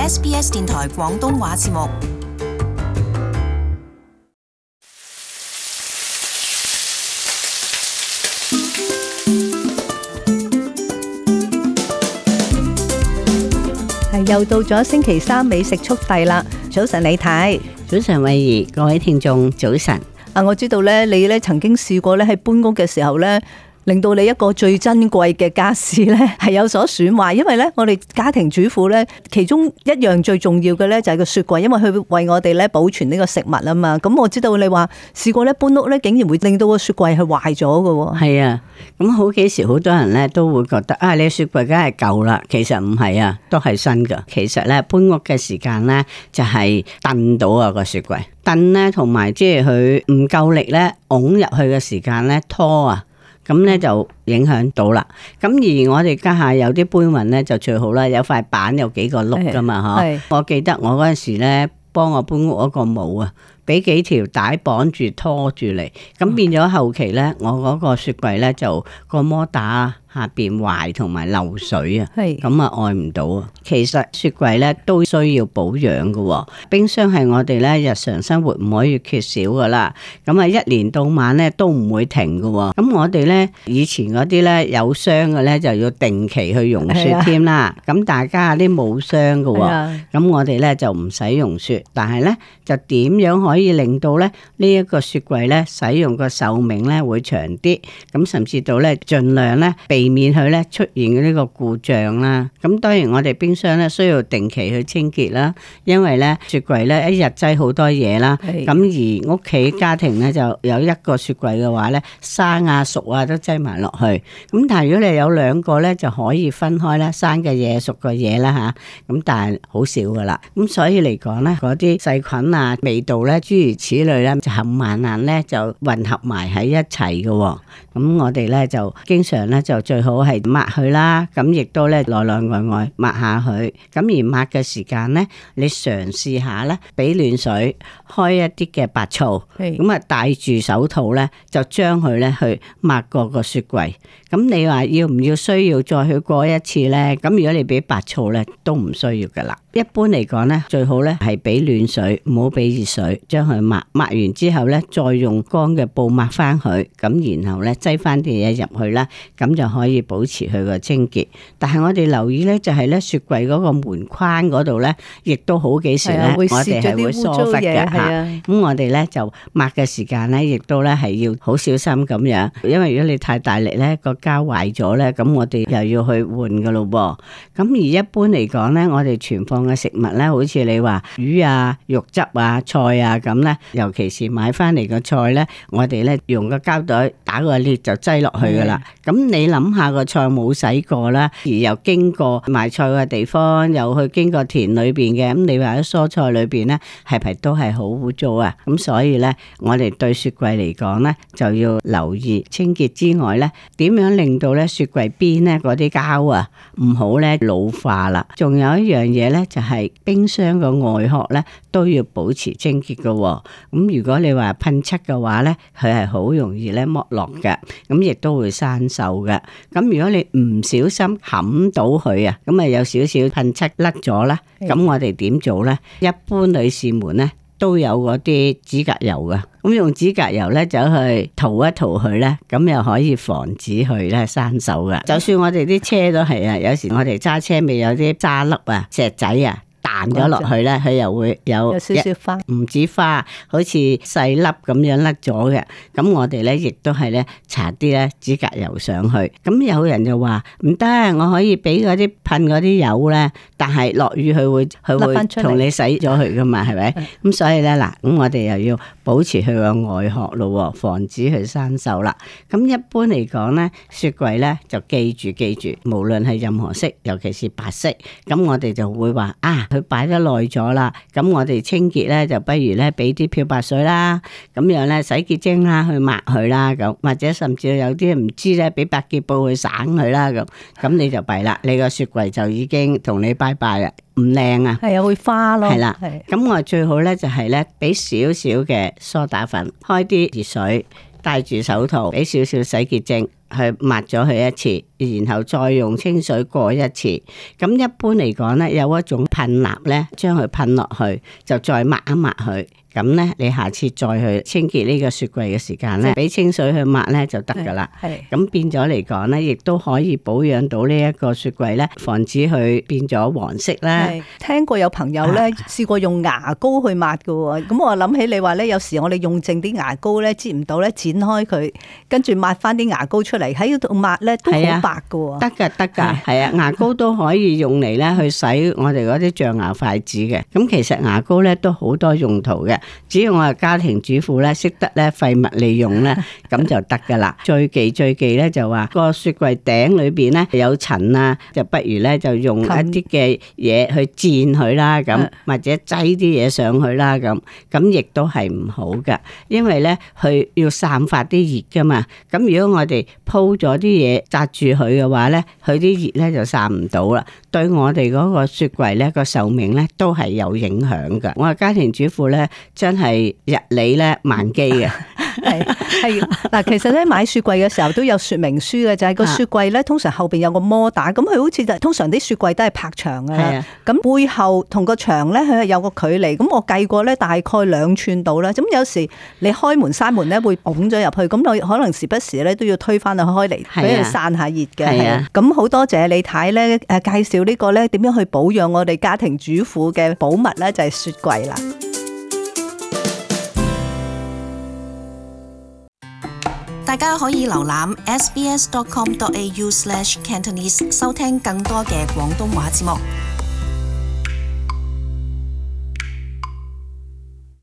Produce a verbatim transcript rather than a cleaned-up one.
S B S 電台廣東話節目。係又到咗星期三美食速遞啦！早晨李太，早晨慧怡，各位聽眾早晨。啊，我知道咧，你咧曾經試過咧喺搬屋嘅時候咧，令到你一個最珍貴嘅家私咧係有所損壞，因為咧我哋家庭主婦咧其中一樣最重要嘅咧就係個雪櫃，因為佢為我哋咧保存呢個食物啊嘛。咁我知道你話試過咧搬屋咧，竟然會令到個雪櫃係壞咗嘅。係啊，咁好幾時好多人咧都會覺得啊，你雪櫃梗係舊啦，其實唔係啊，都係新噶。其實咧搬屋嘅時間咧就係燉到啊個雪櫃，燉咧同埋即係佢唔夠力咧拱入去嘅時間咧拖啊。咁咧就影響到啦。咁而我哋家下有啲搬運咧就最好啦，有塊板有幾個碌噶嘛嗬。我記得我嗰陣時咧幫我搬屋嗰個冇啊，俾幾條帶綁住拖住嚟，咁變咗後期咧我嗰個雪櫃咧就個摩打下邊壞同埋漏水啊，咁啊愛唔到啊。其實雪櫃咧都需要保養噶，冰箱係我哋咧日常生活唔可以缺少噶啦。咁啊一年到晚咧都唔會停噶。咁我哋咧以前嗰啲咧有霜嘅咧就要定期去溶雪添啦。咁大家啲冇霜噶，咁我哋咧就唔使溶雪，但係咧就點樣可以令到咧呢一個雪櫃咧使用個壽命咧會長啲？咁甚至到咧盡量咧避免佢咧出現呢個故障啦。咁當然我哋冰箱咧需要定期去清潔啦，因為咧雪櫃咧一日擠好多嘢啦。咁而屋企家庭咧就有一個雪櫃嘅話咧，生啊熟啊都擠埋落去。咁但係如果你有兩個咧，就可以分開啦，生嘅嘢熟嘅嘢啦吓。咁但係好少噶啦。咁所以嚟講咧，嗰啲細菌啊、味道咧，諸如此類咧，就冚唪唥咧就混合埋喺一齊嘅。咁我哋咧就經常咧就最好係抹佢啦，咁亦都咧內內外外抹下佢。咁而抹嘅時間咧，你嘗試下咧，俾暖水，開一啲嘅白醋，咁啊戴住手套咧，就將佢咧去抹過個雪櫃。咁你話要唔要需要再去過一次咧？咁如果你俾白醋咧，都唔需要噶啦。一般嚟講咧，最好咧係俾暖水，唔好俾熱水，將佢抹。抹完之後咧，再用乾嘅布抹翻佢，咁然後咧擠翻啲嘢入去啦，咁就可以保持佢個清潔。但係我哋留意咧，就係咧雪櫃嗰個門框嗰度咧，亦都好幾時咧，我哋係會疏忽嘅吓。咁我哋咧就抹嘅時間咧，亦都咧係要好小心咁樣，因為如果你太大力咧，個膠壞咗咧，咁我哋又要去換噶咯噃。咁而一般嚟講咧，我哋存放嘅食物咧，好似你話魚啊、肉汁啊、菜啊咁咧，尤其是買翻嚟嘅菜咧，我哋咧用個膠袋打個裂就擠落去噶啦。咁你諗下個菜冇洗過啦，而又經過賣菜嘅地方，又去經過田裏邊嘅，咁你話喺蔬菜裏邊咧，係咪都係好污糟啊？咁所以咧，我哋對雪櫃嚟講咧，就要留意清潔之外咧，點樣令到咧雪櫃邊咧嗰啲膠啊唔好咧老化啦。仲有一樣嘢咧，就係冰箱個外殼咧都要保持清潔噶。咁如果你話噴漆嘅話咧，佢係好容易咧剝落嘅，咁亦都會生鏽嘅。咁如果你唔小心冚到佢啊，咁啊有少少噴漆甩咗啦，咁我哋點做咧？一般女士們咧都有嗰啲指甲油噶，咁用指甲油咧走去塗一塗佢咧，咁又可以防止佢咧生鏽噶。就算我哋啲車都係啊，有時我哋揸車未有啲渣粒啊、石仔啊彈咗落去咧，佢又會有，有少少花，唔止花，好似細粒咁樣甩咗嘅。咁我哋咧亦都係咧搽啲咧指甲油上去。咁有人就話唔得，我可以俾嗰啲噴嗰啲油咧，但係落雨佢會佢會同你洗咗佢噶嘛，係咪？咁所以咧嗱，咁我哋又要保持佢個外殼咯，防止佢生鏽啦。咁一般嚟講咧，雪櫃咧就記住記住，無論係任何色，尤其是白色，咁我哋就會話啊。佢擺得耐咗啦，咁我哋清潔咧就不如咧俾啲漂白水啦，咁樣咧洗潔精啦去抹佢啦，咁或者甚至有啲唔知咧俾百潔布去省佢啦，咁咁你就弊啦，你個雪櫃就已經同你拜拜啦，唔靚啊，係啊會花咯，係啦，咁我最好咧就係咧俾少少嘅梳打粉，開啲熱水，戴住手套，俾少少洗潔精。去抹咗佢一次，然後再用清水過一次。咁一般嚟講咧，有一種噴蠟咧，將佢噴落去，就再抹一抹佢。咁咧，你下次再去清潔呢個雪櫃嘅時間咧，俾清水去抹咧就得噶啦。係咁變咗嚟講咧，亦都可以保養到呢一個雪櫃咧，防止佢變咗黃色啦。聽過有朋友咧試過用牙膏去抹噶喎，咁我諗起你話咧，有時我哋用剩啲牙膏咧，擠唔到咧，剪開佢，跟住抹翻啲牙膏出嚟喺度抹咧，都好白噶喎。得噶得噶，係啊，牙膏都可以用嚟咧去洗我哋嗰啲象牙筷子嘅。咁其實牙膏咧都好多用途嘅。只要我係家庭主婦咧，識得咧廢物利用咧，咁就得噶啦。最忌最忌咧就話個雪櫃頂裏邊咧有塵啊，就不如咧就用一啲嘅嘢去墊佢啦，咁或者擠啲嘢上去啦，咁咁亦都係唔好噶，因為咧佢要散發啲熱噶嘛。咁如果我哋鋪咗啲嘢紮住佢嘅話咧，佢啲熱咧就散唔到啦，對我哋嗰個雪櫃咧個壽命咧都係有影響噶。我係家庭主婦咧，真係日理咧萬機嘅。係係嗱，其實咧買雪櫃嘅時候都有說明書嘅，就係、是、個雪櫃咧通常後邊有個摩打，咁佢好似就通常啲雪櫃都係拍牆嘅啦，咁背後同個牆咧佢係有個距離，咁我計過咧大概兩寸度啦。咁有時你開門閂門咧會拱咗入去，咁我可能時不時咧都要推翻佢開嚟俾佢散下熱嘅。咁好多謝李太咧誒介紹呢個咧點樣去保養我哋家庭主婦嘅寶物咧，就係雪櫃啦。大家可以瀏覽 s b s dot com dot a u slash cantonese 收聽更多嘅廣東話節目。